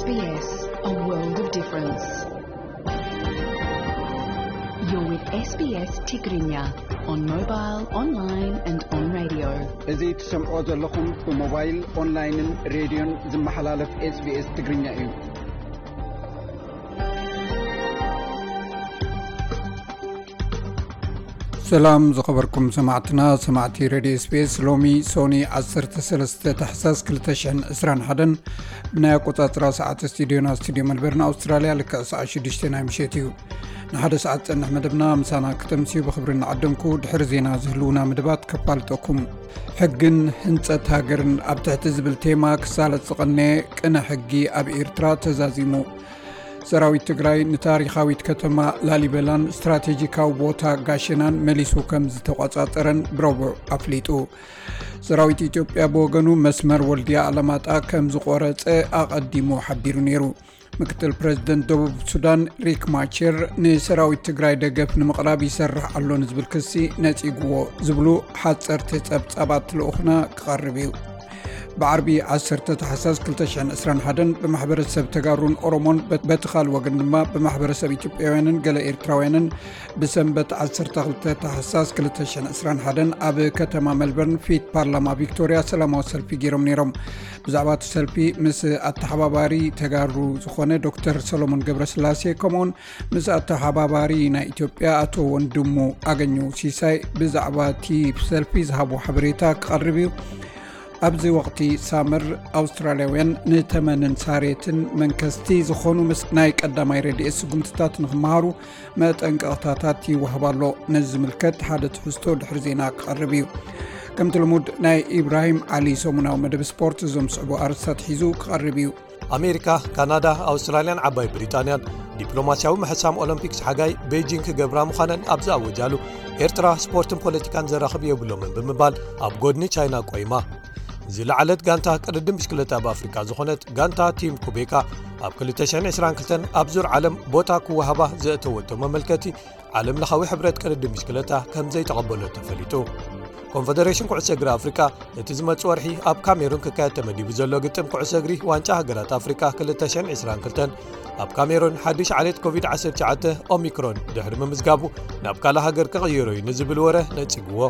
S B S, a world of difference. You're with S B S Tigrinya on mobile, online and on radio. እዚ ትሰምዖ ዘለኹም ብሞባይል፣ ኦንላይንን ሬድዮን ዝመሓላለፍ S B S ትግርኛ እዩ። ሰላም ዝኸበርኩም ሰማዕትና፣ ሰማዕቲ ሬድዮ S B S፣ ሎሚ ሶኒ ዓሰርተ ሰለስተ ታሕሳስ ክልተ ሽሕን ዕስራን ሓደን ብናይ ኣቆጻጽራ ሰዓት ስቱዲዮና፣ ስቱዲዮ መልበርን ኣውስትራልያ፣ ልክዕ ሰዓት ሽዱሽተ ናይ ምሸት እዩ። ንሓደ ሰዓት ዝጸንሕ መደብና ምሳና ክተምስዩ ብኽብሪ እናዓደምኩ፣ ድሕሪ ዜና ዝህልውና መደባት ከፋልጠኩም። ሕግን ህንጸት ሃገርን ኣብ ትሕቲ ዝብል ቴማ ክሳለጥ ዝቐነየ ቅነ ሕጊ ኣብ ኤርትራ ተዛዚሙ። ሰራዊት ትግራይ ንታሪኻዊት ከተማ ላሊበላን ስትራቴጂካዊ ቦታ ጋሸናን መሊሱ ከም ዝተቆጻጸረን ብረቡዕ ኣፍሊጡ። ሰራዊት ኢትዮጵያ ብወገኑ መስመር ወልድያ ኣላማጣ ከም ዝቆረጸ ኣቐዲሙ ሓቢሩ ነይሩ። ምክትል ፕረዚደንት ደቡብ ሱዳን ሪክ ማቸር ንሰራዊት ትግራይ ደገፍ ንምቕራብ ይሰርሕ ኣሎ ንዝብል ክሲ ነጺግዎ ዝብሉ ሓጸርቲ ጸብጻባት ልኡኽና ክቐርብ እዩ። ብዓርቢ ዓሰርተ ታሕሳስ ክልተ ሽሕን ዕስራን ሓደን ብማሕበረሰብ ተጋሩን ኦሮሞን፣ በት-፣ በቲ ካልእ ወገን ድማ ብማሕበረሰብ ኢትዮጵያውያንን ገለ ኤርትራውያንን ብሰንበት ዓሰርተ ክልተ ታሕሳስ ክልተ ሽሕን ዕስራን ሓደን ኣብ ከተማ መልበርን ፊት ፓርላማ ቪክቶርያ ሰላማዊ ሰልፊ ገይሮም ነይሮም። ብዛዕባ እቲ ሰልፊ ምስ ኣተሓባባሪ ተጋሩ ዝኾነ ዶክተር ሰሎሞን ገብረስላሴ፣ ከምኡውን ምስ ኣተሓባባሪ ናይ ኢትዮጵያ ኣቶ ወንድሙ ኣገኘው ሲሳይ ብዛዕባ እቲ ሰልፊ ዝሃቦ ሓበሬታ ክቐርብ እዩ። ኣብዚ ወቕቲ ሳመር ኣውስትራልያውያን ንተመንን ሳሬትን መንከስቲ ዝኾኑ ምስ ናይ ቀዳማይ ረድኤት ስጉምትታት ንኽመሃሩ መጠንቀቕታታት ይወሃብ ኣሎ። ነዚ ዝምልከት ሓደ ትሕዝቶ ድሕሪ ዜና ክቐርብ እዩ። ከምቲ ልሙድ ናይ ኢብራሂም ዓሊ ሰሙናዊ መደብ ስፖርት እዞም ዝስዕቡ ኣርእስታት ሒዙ ክቐርብ እዩ። ኣሜሪካ፣ ካናዳ፣ ኣውስትራልያን ዓባይ ብሪጣንያን ዲፕሎማስያዊ ምሕሳም ኦሎምፒክስ ሓጋይ ቤጂንግ ክገብራ ምዃነን ኣብ ዝኣወጃሉ፣ ኤርትራ ስፖርትን ፖለቲካን ዘራኽብ የብሎምን ብምባል ኣብ ጎድኒ ቻይና ቆይማ። ዝለዓለት ጋንታ ቅድድም ብሽክለታ ኣብ ኣፍሪካ ዝኾነት ጋንታ ቲም ኩቤካ ኣብ ክልተ ሽሕን ዕስራን ክልተን ኣብ ዙር ዓለም ቦታ ክወሃባ ዘእተወቶ መመልከቲ ዓለም ለኻዊ ሕብረት ቅድድም ብሽክለታ ከም ዘይተቐበሎ ተፈሊጡ። ኮንፈደሬሽን ኩዕሶ እግሪ ኣፍሪካ ነቲ ዝመጽእ ወርሒ ኣብ ካሜሩን ክካየድ ተመዲቡ ዘሎ ግጥም ኩዕሶ እግሪ ዋንጫ ሃገራት ኣፍሪካ ክልተ ሽሕን ዕስራን ክልተን ኣብ ካሜሩን ሓድሽ ዓሌት ኮቪድ ዓሰርተ ትሽዓተ ኦሚክሮን ድሕሪ ምምዝጋቡ ናብ ካልእ ሃገር ክቕይሮ እዩ ንዝብል ወረ ነጺግዎ።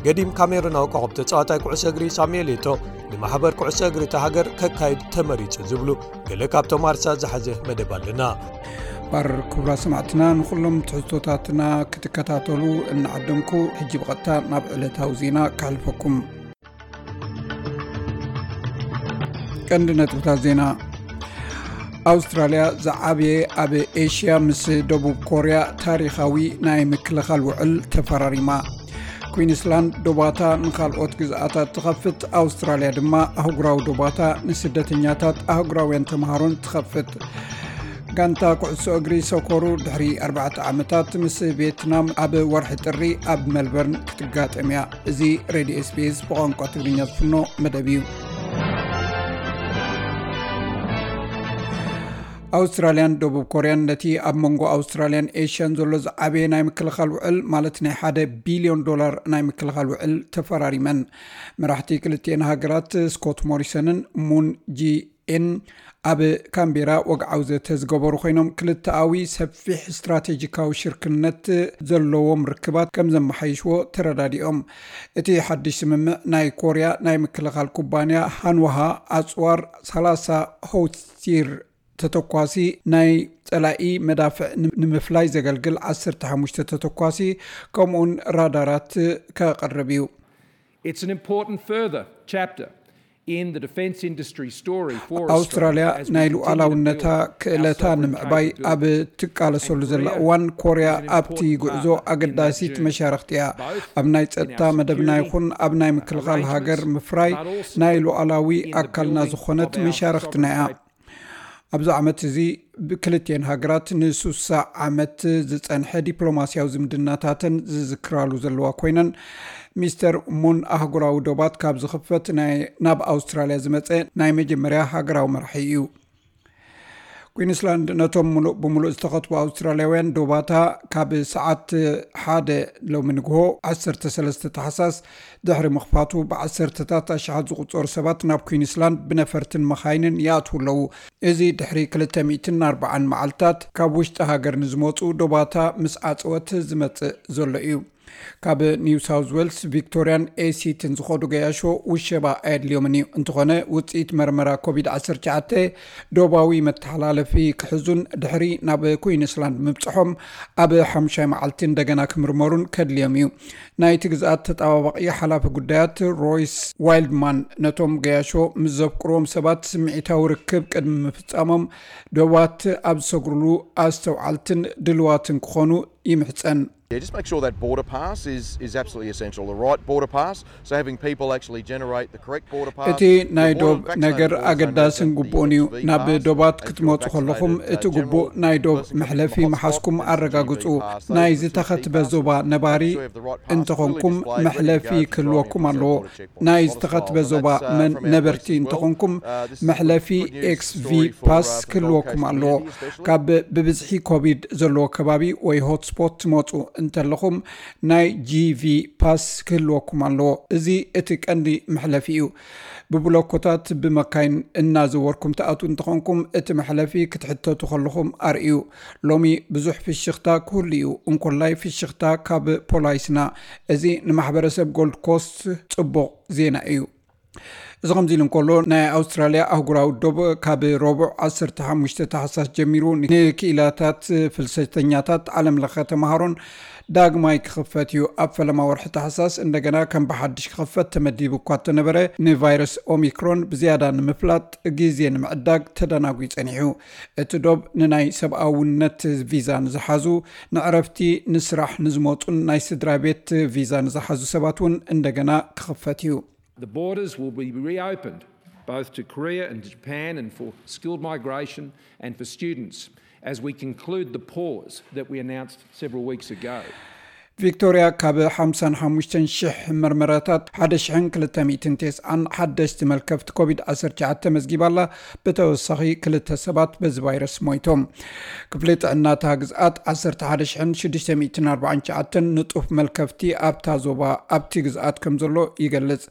ገዲም ካሜሩናዊ ኮኸብ ተጻዋታይ ኩዕሶ እግሪ ሳሙኤል ኤቶ ንማሕበር ኩዕሶ እግሪ እታ ሃገር ከካይድ ተመሪጹ ዝብሉ ገለ ካብቶም ኣርሳ ዝሓዘ መደብ ኣለና። ባር ክቡራ ሰማዕትና፣ ንኹሎም ትሕዝቶታትና ክትከታተሉ እናዓደምኩ፣ ሕጂ ብቐጥታ ናብ ዕለታዊ ዜና ከሕልፈኩም። ቀንዲ ነጥብታት ዜና። ኣውስትራልያ ዝዓበየ ኣብ ኤሽያ ምስ ደቡብ ኮርያ ታሪኻዊ ናይ ምክልኻል ውዕል ተፈራሪማ። ኩዊንስላንድ ዶባታ ንኻልኦት ግዝኣታት ትኸፍት፣ ኣውስትራልያ ድማ ኣህጉራዊ ዶባታ ንስደተኛታት ኣህጉራውያን ተምሃሮን ትኸፍት። ጋንታ ኩዕሶ እግሪ ሶኮሩ ድሕሪ ኣርባዕተ ዓመታት ምስ ቪየትናም ኣብ ወርሒ ጥሪ ኣብ ሜልበርን ክትጋጠም እያ። እዚ ሬድዮ S B S ብቋንቋ ትግርኛ ዝፍኖ መደብ እዩ። ኣውስትራልያን ደቡብ ኮርያን ነቲ ኣብ መንጎ ኣውስትራልያን ኤሽያን ዘሎ ዝዓበየ ናይ ምክልኻል ውዕል፣ ማለት ናይ ሓደ ቢልዮን ዶላር ናይ ምክልኻል ውዕል ተፈራሪመን። መራሕቲ ክልቲኤን ሃገራት ስኮት ሞሪሰንን ሙን ጂ ኤን ኣብ ካምቤራ ወግዓዊ ዘተ ዝገበሩ ኮይኖም፣ ክልተኣዊ ሰፊሕ ስትራቴጂካዊ ሽርክነት ዘለዎም ርክባት ከም ዘመሓይሽዎ ተረዳዲኦም። እቲ ሓድሽ ስምምዕ ናይ ኮርያ ናይ ምክልኻል ኩባንያ ሃንዋሃ ኣጽዋር ሰላሳ ሆውሲር ተተኳሲ፣ ናይ ጸላኢ መዳፍዕ ን-፣ ንምፍላይ ዘገልግል ዓሰርተ ሓሙሽተ ተተኳሲ፣ ከምኡውን ራዳራት ከቕርብ እዩ። It's an important further chapter in the defence industry story for ኣውስትራልያ ናይ ሉዓላውነታ ክእለታ ንምዕባይ ኣብ ትቃለሰሉ ዘላ እዋን፣ ኮርያ ኣብቲ ጉዕዞ ኣገዳሲት መሻርኽቲ እያ። ኣብ ናይ ጸጥታ መደብና ይኹን ኣብ ናይ ምክልኻል ሃገር ምፍራይ ናይ ሉዓላዊ ኣካልና ዝኾነት መሻርኽትና እያ። ኣብዚ ዓመት እዚ ብክልቲኤን ሃገራት ንሱሳ ዓመት ዝጸንሐ ዲፕሎማስያዊ ዝምድናታተን ዝዝክራሉ ዘለዋ ኮይነን፣ ሚስተር ሙን ኣህጉራዊ ዶባት ካብ ዝኽፈት ናይ፣ ናብ ኣውስትራልያ ዝመጸ ናይ መጀመርያ ሃገራዊ መራሒ እዩ። ኩዊንስላንድ ነቶም ሙሉእ ብምሉእ ዝተኸትቡ ኣውስትራልያውያን ዶባታ ካብ ሰዓት ሓደ ሎሚ ንግሆ ዓሰርተ ሰለስተ ታሕሳስ ድሕሪ ምኽፋቱ፣ ብዓሰርተታት ኣሽሓት ዝቑጸሩ ሰባት ናብ ኩዊንስላንድ ብነፈርትን መኻይንን ይኣትዉ ኣለዉ። እዚ ድሕሪ ክልተ ሚእትን ኣርባዓን መዓልታት ካብ ውሽጢ ሃገር ንዝመጹ ዶባታ ምስ ዓጸወት ዝመጽእ ዘሎ እዩ። ካብ ኒው ሳውዝ ዌልስ፣ ቪክቶሪያን ኤሲትን ዝኸዱ ገያሾ ውሸባ ኣየድልዮምን እዩ። እንተኾነ፣ ውጽኢት መርመራ ኮቪድ ዓሰርተ ትሽዓተ ዶባዊ መተሓላለፊ ክሕዙን ድሕሪ ናብ ኩዊንስላንድ ምብጽሖም ኣብ ሓሙሻይ መዓልቲ እንደገና ክምርመሩን ከድልዮም እዩ። ናይቲ ግዝኣት ተጣባባቒ ሓላፊ ጉዳያት ሮይስ ዋይልድማን ነቶም ገያሾ ምስ ዘፍቅርዎም ሰባት ስምዒታዊ ርክብ ቅድሚ ምፍጻሞም ዶባት ኣብ ዝሰግሩሉ ኣስተውዓልትን ድልዋትን ክኾኑ ይምሕጸን። Yeah, just make sure that border pass is, is absolutely essential. The right border pass. So having people actually generate the correct border pass. እቲ ናይ ዶብ ነገር ኣገዳስን ግቡእን እዩ። ናብ ዶባት ክትመጹ ከለኹም፣ እቲ ግቡእ ናይ ዶብ መሕለፊ ምሓዝኩም ኣረጋግጹ። ናይ ዝተኸትበ ዞባ ነባሪ እንተኾንኩም፣ መሕለፊ ክህልወኩም ኣለዎ። ናይ ዝተኸትበ ዞባ መን ነበርቲ እንተኾንኩም፣ መሕለፊ ኤክስቪ ፓስ ክህልወኩም ኣለዎ። ካብ ብብዝሒ ኮቪድ ዘለዎ ከባቢ ወይ ሆትስፖት ትመጹ እንተለኹም፣ ናይ ጂቪ ፓስ ክህልወኩም ኣለዎ። እዚ እቲ ቀንዲ መሕለፊ እዩ። ብብሎኮታት ብመካይን እናዘወርኩም ትኣትዉ እንተኾንኩም፣ እቲ መሕለፊ ክትሕተቱ ከለኹም ኣርእዩ። ሎሚ ብዙሕ ፍሽኽታ ክህሉ እዩ፣ እንኮላይ ፍሽኽታ ካብ ፖላይስና። እዚ ንማሕበረሰብ ጎልድ ኮስት ጽቡቕ ዜና እዩ። እዚ ከምዚ ኢሉ እንከሎ፣ ናይ ኣውስትራልያ ኣህጉራዊ ዶብ ካብ ረቡዕ ዓሰርተ ሓሙሽተ ታሕሳስ ጀሚሩ ንክኢላታት ፍልሰተኛታት ዓለም ለኸ ተምሃሮን ዳግማይ ክኽፈት እዩ። ኣብ ፈለማ ወርሒ ታሕሳስ እንደገና ከም ብሓድሽ ክኽፈት ተመዲቡ እኳ እንተነበረ፣ ንቫይረስ ኦሚክሮን ብዝያዳ ንምፍላጥ ግዜ ንምዕዳግ ተደናጒ ጸኒሑ። እቲ ዶብ ንናይ ሰብኣውነት ቪዛ ንዝሓዙ፣ ንዕረፍቲ፣ ንስራሕ ንዝመጹን ናይ ስድራ ቤት ቪዛ ንዝሓዙ ሰባት እውን እንደገና ክኽፈት እዩ። The borders will be reopened both to Korea and to Japan and for skilled migration and for students as we conclude the pause that we announced several weeks ago. ቪክቶርያ ካብ ሓምሳን ሓሙሽተን ሽሕ መርመራታት ሓደ ሽሕን ክልተ ሚእትን ተስዓን ሓደሽቲ መልከፍቲ ኮቪድ ዓሰርተ ትሽዓተ መዝጊባ ኣላ። ብተወሳኺ ክልተ ሰባት በዚ ቫይረስ ሞይቶም። ክፍሊ ጥዕና እታ ግዝኣት ዓሰርተ ሓደ ሽሕን ሽዱሽተ ሚእትን ኣርባዓን ትሽዓተን ንጡፍ መልከፍቲ ኣብታ ዞባ ኣብቲ ግዝኣት ከም ዘሎ ይገልጽ።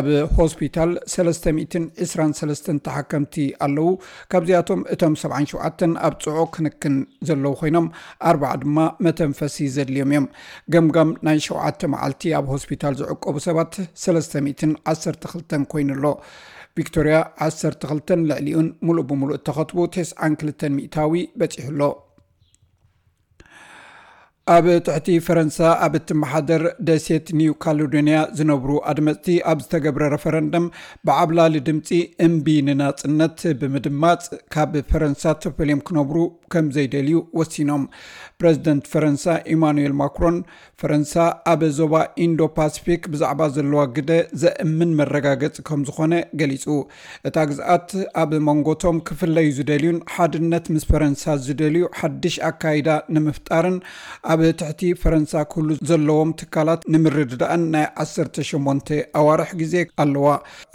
ኣብ ሆስፒታል ሰለስተ ሚእትን ዕስራን ሰለስተን ተሓከምቲ ኣለዉ። ካብዚኣቶም እቶም ሰብዓን ሸውዓተን ኣብ ጽዑቕ ክንክን ዘለዉ ኮይኖም፣ ኣርባዓ ድማ መተንፈሲ ዘድልዮም እዮም። ገምጋም ናይ ሸውዓተ መዓልቲ ኣብ ሆስፒታል ዝዕቆቡ ሰባት ሰለስተ ሚእትን ዓሰርተ ክልተን ኮይኑ ኣሎ። ቪክቶርያ ዓሰርተ ክልተን ልዕሊኡን ሙሉእ ብምሉእ እተኸትቡ ተስዓን ክልተን ሚእታዊ በጺሑ ኣሎ። ኣብ ትሕቲ ፈረንሳ ኣብ እትመሓደር ደሴት ኒው ካሌዶንያ ዝነብሩ ኣድመፅቲ ኣብ ዝተገብረ ረፈረንደም ብዓብላሊ ድምፂ እምቢ ንናፅነት ብምድማፅ ካብ ፈረንሳ ተፈልዮም ክነብሩ ከም ዘይደልዩ ወሲኖም። ፕረዚደንት ፈረንሳ ኢማኑኤል ማክሮን ፈረንሳ ኣብ ዞባ ኢንዶ ፓሲፊክ ብዛዕባ ዘለዋ ግደ ዘእምን መረጋገፂ ከም ዝኾነ ገሊፁ። እታ ግዝኣት ኣብ መንጎቶም ክፍለዩ ዝደልዩን ሓድነት ምስ ፈረንሳ ዝደልዩ ሓድሽ ኣካይዳ ንምፍጣርን ኣብ ትሕቲ ፈረንሳ ክህሉ ዘለዎም ትካላት ንምርድዳእን ናይ ዓሰርተ ሸሞንተ ኣዋርሕ ግዜ ኣለዋ።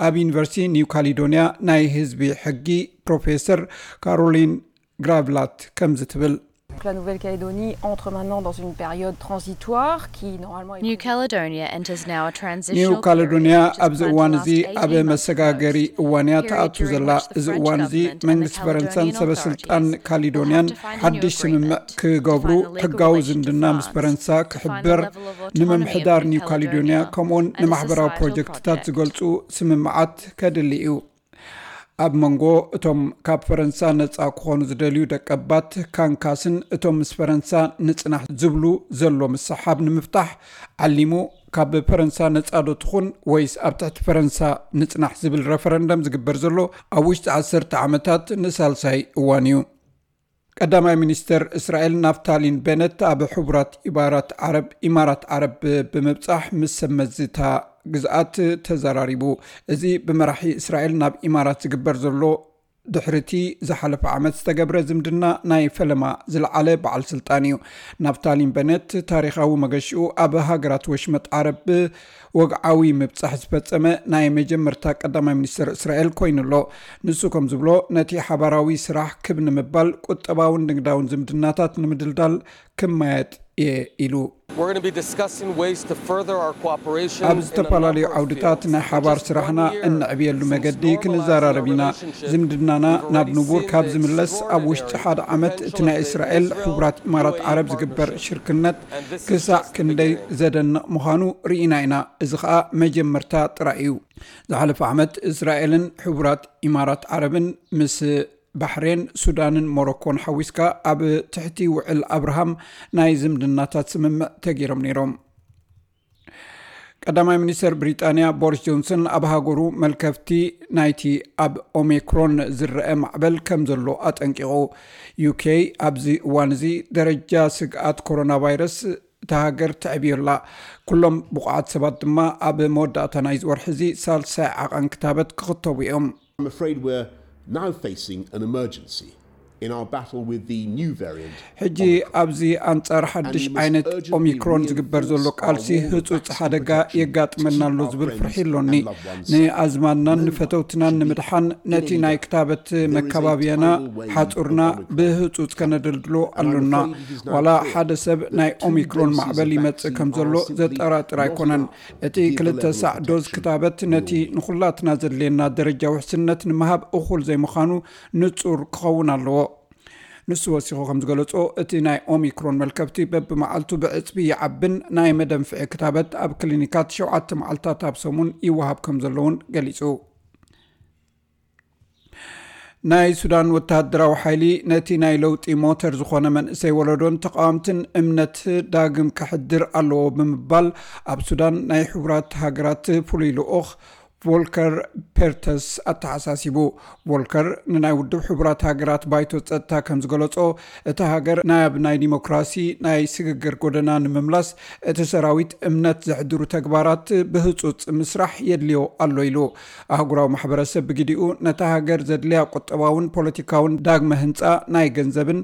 ኣብ ዩኒቨርሲቲ ኒው ካሊዶንያ ናይ ህዝቢ ሕጊ ፕሮፌሰር ካሮሊን ግራቭላት ከምዚ ትብል። Donc la Nouvelle-Calédonie entre maintenant dans une période transitoire qui normalement est New prévue- Caledonia enters now a ኒው transitional ካሌዶንያ period, which has ኣብዚ spurred እዋን the እዚ last ኣብ eighteen months መሰጋገሪ period, እዋን እያ during ትኣቱ which ዘላ። the እዚ French እዋን እዚ government and the መንግስቲ ፈረንሳን Caledonian ሰበ ስልጣን authorities ካሊዶንያን have to find a new ሓድሽ ስምምዕ agreement to ክገብሩ define the legal ሕጋዊ relations ዝምድና with ምስ France, ፈረንሳ to find the ክሕብር level of autonomy of ንምምሕዳር New ኒው ካሌዶንያ Caledonia, ከምኡውን and a ንማሕበራዊ societal ፕሮጀክትታት project. ዝገልፁ ስምምዓት ከድሊ እዩ። ኣብ መንጎ እቶም ካብ ፈረንሳ ነፃ ክኾኑ ዝደልዩ ደቀባት ካንካስን እቶም ምስ ፈረንሳ ንፅናሕ ዝብሉ ዘሎ ምስሓብ ንምፍታሕ ዓሊሙ፣ ካብ ፈረንሳ ነፃ ዶ ትኹን ወይስ ኣብ ትሕቲ ፈረንሳ ንፅናሕ ዝብል ረፈረንደም ዝግበር ዘሎ ኣብ ውሽጢ ዓሰርተ ዓመታት ንሳልሳይ እዋን እዩ። ቀዳማይ ሚኒስተር እስራኤል ናፍታሊን ቤነት ኣብ ሕቡራት ኢማራት ዓረብ፣ ኢማራት ዓረብ ብምብጻሕ ምስ ሰብ መዚ እታ ግዝኣት ተዘራሪቡ። እዚ ብመራሒ እስራኤል ናብ ኢማራት ዝግበር ዘሎ ድሕርቲ ዝሓለፈ ዓመት ዝተገብረ ዝምድና ናይ ፈለማ ዝለዓለ በዓል ስልጣን እዩ። ናፍታሊን በነት ታሪኻዊ መገሽኡ ኣብ ሃገራት ወሽመጥ ዓረብ ወግዓዊ ምብጻሕ ዝፈጸመ ናይ መጀመርታ ቀዳማይ ሚኒስትር እስራኤል ኮይኑ ኣሎ። ንሱ ከም ዝብሎ፣ ነቲ ሓባራዊ ስራሕ ክብ ንምባል፣ ቁጠባውን ንግዳውን ዝምድናታት ንምድልዳል ክመያየጥ እየ ኢሉ። ኣብ ዝተፈላለዩ ዓውድታት ናይ ሓባር ስራሕና እነዕብየሉ መገዲ ክንዘራረብ ኢና። ዝምድናና ናብ ንቡር ካብ ዝምለስ፣ ኣብ ውሽጢ ሓደ ዓመት እቲ ናይ እስራኤል ሕቡራት ኢማራት ዓረብ ዝግበር ሽርክነት ክሳዕ ክንደይ ዘደንቕ ምዃኑ ርኢና ኢና። እዚ ኸኣ መጀመርታ ጥራይ እዩ። ዝሓለፈ ዓመት እስራኤልን ሕቡራት ኢማራት ዓረብን ምስ ባሕሬን፣ ሱዳንን ሞሮኮን ሓዊስካ ኣብ ትሕቲ ውዕል ኣብርሃም ናይ ዝምድናታት ስምምዕ ተገይሮም ነይሮም። ቀዳማይ ሚኒስተር ብሪጣንያ ቦሪስ ጆንሰን ኣብ ሃገሩ መልከፍቲ ናይቲ ኣብ ኦሚክሮን ዝረአ ማዕበል ከም ዘሎ ኣጠንቂቑ። ዩኬ ኣብዚ እዋን እዚ ደረጃ ስግኣት ኮሮና ቫይረስ እታ ሃገር ተዕብዮላ። ኩሎም ብቑዓት ሰባት ድማ ኣብ መወዳእታ ናይዚ ወርሒ እዚ ሳልሳይ ዓቐን ክታበት ክኽተቡ እዮም። I'm afraid we're now facing an emergency in our battle with the new variant ሕጂ Omicron. ኣብዚ ኣንጻር ሓድሽ ዓይነት ኦሚክሮን ዝግበር ዘሎ ቃልሲ ህጹጽ ሓደጋ የጋጥመና ኣሎ ዝብል ፍርሒ ኣሎኒ። ንኣዝማድናን ንፈተውትናን ንምድሓን ነቲ ናይ ክታበት መካባብያና ሓጹርና ብህጹጽ ከነደልድሎ ኣሎና። ዋላ ሓደ ሰብ ናይ ኦሚክሮን ማዕበል ይመጽእ ከም ዘሎ ዘጠራጥር ኣይኮነን። እቲ ክልተ ሳዕ ዶዝ ክታበት ነቲ ንኹላትና ዘድልየና ደረጃ ውሕስነት ንምሃብ እኹል ዘይምዃኑ ንጹር ክኸውን ኣለዎ። ንሱ ወሲኹ ከም ዝገለጾ፣ እቲ ናይ ኦሚክሮን መልከፍቲ በብመዓልቱ ብዕጽፊ ይዓብን ናይ መደንፍዒ ክታበት ኣብ ክሊኒካት ሸውዓተ መዓልታት ኣብ ሰሙን ይወሃብ ከም ዘለውን ገሊጹ። ናይ ሱዳን ወተሃደራዊ ሓይሊ ነቲ ናይ ለውጢ ሞተር ዝኾነ መንእሰይ ወለዶን ተቃወምትን እምነት ዳግም ከሕድር ኣለዎ ብምባል ኣብ ሱዳን ናይ ሕቡራት ሃገራት ፍሉይ ልኡኽ ቮልከር ፔርተስ ኣተሓሳሲቡ። ቮልከር ንናይ ውድብ ሕቡራት ሃገራት ባይቶ ጸጥታ ከም ዝገለጾ፣ እታ ሃገር ናብ ናይ ዲሞክራሲ ናይ ስግግር ጎደና ንምምላስ እቲ ሰራዊት እምነት ዘሕድሩ ተግባራት ብህጹጽ ምስራሕ የድልዮ ኣሎ ኢሉ። ኣህጉራዊ ማሕበረሰብ ብግዲኡ ነታ ሃገር ዘድልያ ቁጠባውን ፖለቲካውን ዳግመ ህንጻ ናይ ገንዘብን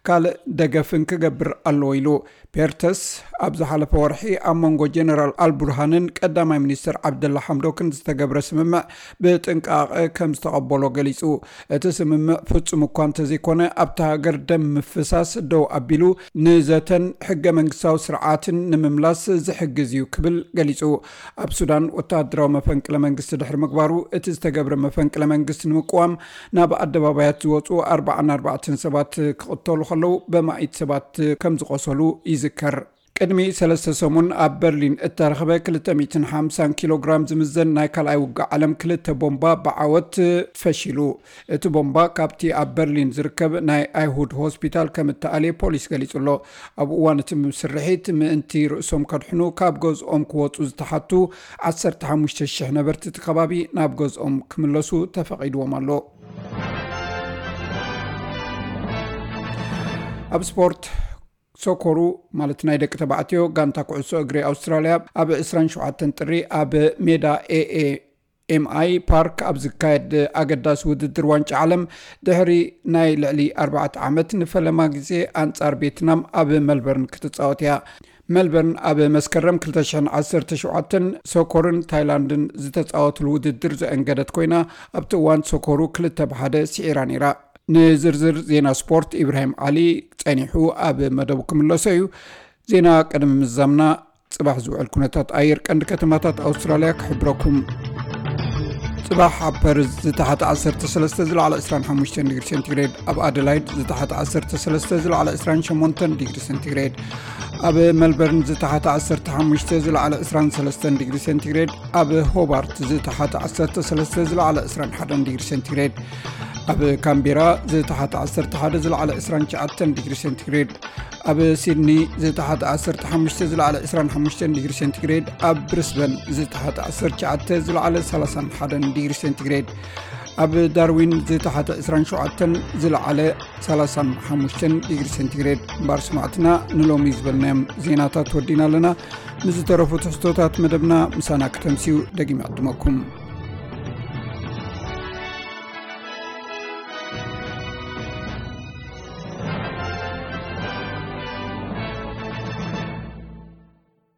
ካልእ ደገፍን ክገብር ኣለዎ ኢሉ። ፔርተስ ኣብ ዝሓለፈ ወርሒ ኣብ መንጎ ጀነራል ኣልቡርሃንን ቀዳማይ ሚኒስትር ዓብደላ ሓምዶክን ዝተገብረ ስምምዕ ብጥንቃቐ ከም ዝተቐበሎ ገሊጹ። እቲ ስምምዕ ፍጹም እኳ እንተዘይኮነ፣ ኣብታ ሃገር ደም ምፍሳስ ደው ኣቢሉ፣ ንዘተን ሕገ መንግስታዊ ስርዓትን ንምምላስ ዝሕግዝ እዩ ክብል ገሊጹ። ኣብ ሱዳን ወተሃደራዊ መፈንቅለ መንግስቲ ድሕሪ ምግባሩ፣ እቲ ዝተገብረ መፈንቅለ መንግስቲ ንምቅዋም ናብ ኣደባባያት ዝወጹ ኣርባዓን ኣርባዕተን ሰባት ክቕተሉ ከለዉ፣ በማኢት ሰባት ከም ዝቖሰሉ ይዝከር። ቅድሚ ሰለስተ ሰሙን ኣብ በርሊን እተረኽበ ክልተ ሚእትን ሓምሳን ኪሎ ግራም ዝምዘን ናይ ካልኣይ ውግእ ዓለም ክልተ ቦምባ ብዓወት ፈሺሉ። እቲ ቦምባ ካብቲ ኣብ በርሊን ዝርከብ ናይ ኣይሁድ ሆስፒታል ከም እተኣልየ ፖሊስ ገሊጹ ኣሎ። ኣብ እዋን እቲ ስርሒት፣ ምእንቲ ርእሶም ከድሕኑ ካብ ገዝኦም ክወጹ ዝተሓቱ ዓሰርተ ሓሙሽተ ሽሕ ነበርቲ እቲ ከባቢ ናብ ገዝኦም ክምለሱ ተፈቒድዎም ኣሎ። ኣብ ስፖርት፣ ሶኮሩ፣ ማለት ናይ ደቂ ተባዕትዮ ጋንታ ኩዕሶ እግሪ ኣውስትራልያ፣ ኣብ ዕስራን ሸውዓተን ጥሪ ኣብ ሜዳ ኤኤ ኤምኣይ ፓርክ ኣብ ዝካየድ ኣገዳሲ ውድድር ዋንጫ ዓለም፣ ድሕሪ ናይ ልዕሊ ኣርባዕተ ዓመት ንፈለማ ግዜ ኣንጻር ቬትናም ኣብ መልበርን ክትጻወት እያ። መልበርን ኣብ መስከረም ክልተ ሽሕን ዓሰርተ ሸውዓተን ሶኮርን ታይላንድን ዝተጻወትሉ ውድድር ዘእንገደት ኮይና፣ ኣብቲ እዋን ሶኮሩ ክልተ ብሓደ ስዒራ ነይራ። ንዝርዝር ዜና ስፖርት፣ ኢብራሂም ዓሊ ጸኒሑ ኣብ መደቡ ክምለሶ እዩ። ዜና ቅድሚ ምዛምና፣ ጽባሕ ዝውዕል ኩነታት ኣየር ቀንዲ ከተማታት ኣውስትራልያ ክሕብረኩም። ጽባሕ ኣብ ፐርዝ ዝተሓተ ዓሰርተ ሰለስተ፣ ዝለዓለ ዕስራን ሓሙሽተን ዲግሪ ሴንቲግሬድ፣ ኣብ ኣደላይድ ዝተሓተ ዓሰርተ ሰለስተ፣ ዝለዓለ ዕስራን ሸሞንተን ዲግሪ ሴንቲግሬድ፣ ኣብ መልበርን ዝተሓተ ዓሰርተ ሓሙሽተ፣ ዝለዓለ ዕስራን ሰለስተን ዲግሪ ሴንቲግሬድ፣ ኣብ ሆባርት ዝተሓተ ዓሰርተ ሰለስተ፣ ዝለዓለ ዕስራን ሓደን ዲግሪ ሴንቲግሬድ፣ ኣብ ካምቤራ ዝተሓተ ዓሰርተ ሓደ፣ ዝለዓለ ዕስራን ትሽዓተን ዲግሪ ሴንቲግሬድ፣ ኣብ ሲድኒ ዝተሓተ ዓሰርተ ሓሙሽተ፣ ዝለዓለ ዕስራን ሓሙሽተን ዲግሪ ሴንቲግሬድ፣ ኣብ ብሪስበን ዝተሓተ ዓሰርተ ትሽዓተ፣ ዝለዓለ ሰላሳን ሓደን ዲግሪ ሴንቲግሬድ፣ ኣብ ዳርዊን ዝተሓተ ዕስራን ሸውዓተን፣ ዝለዓለ ሰላሳን ሓሙሽተን ዲግሪ ሴንቲግሬድ። እምበኣር ስማዕትና፣ ንሎሚ ዝበልናዮም ዜናታት ወዲና ኣለና። ምስ ዝተረፉ ትሕዝቶታት መደብና ምሳና ክተምስዩ ደጊም ይዕድመኩም።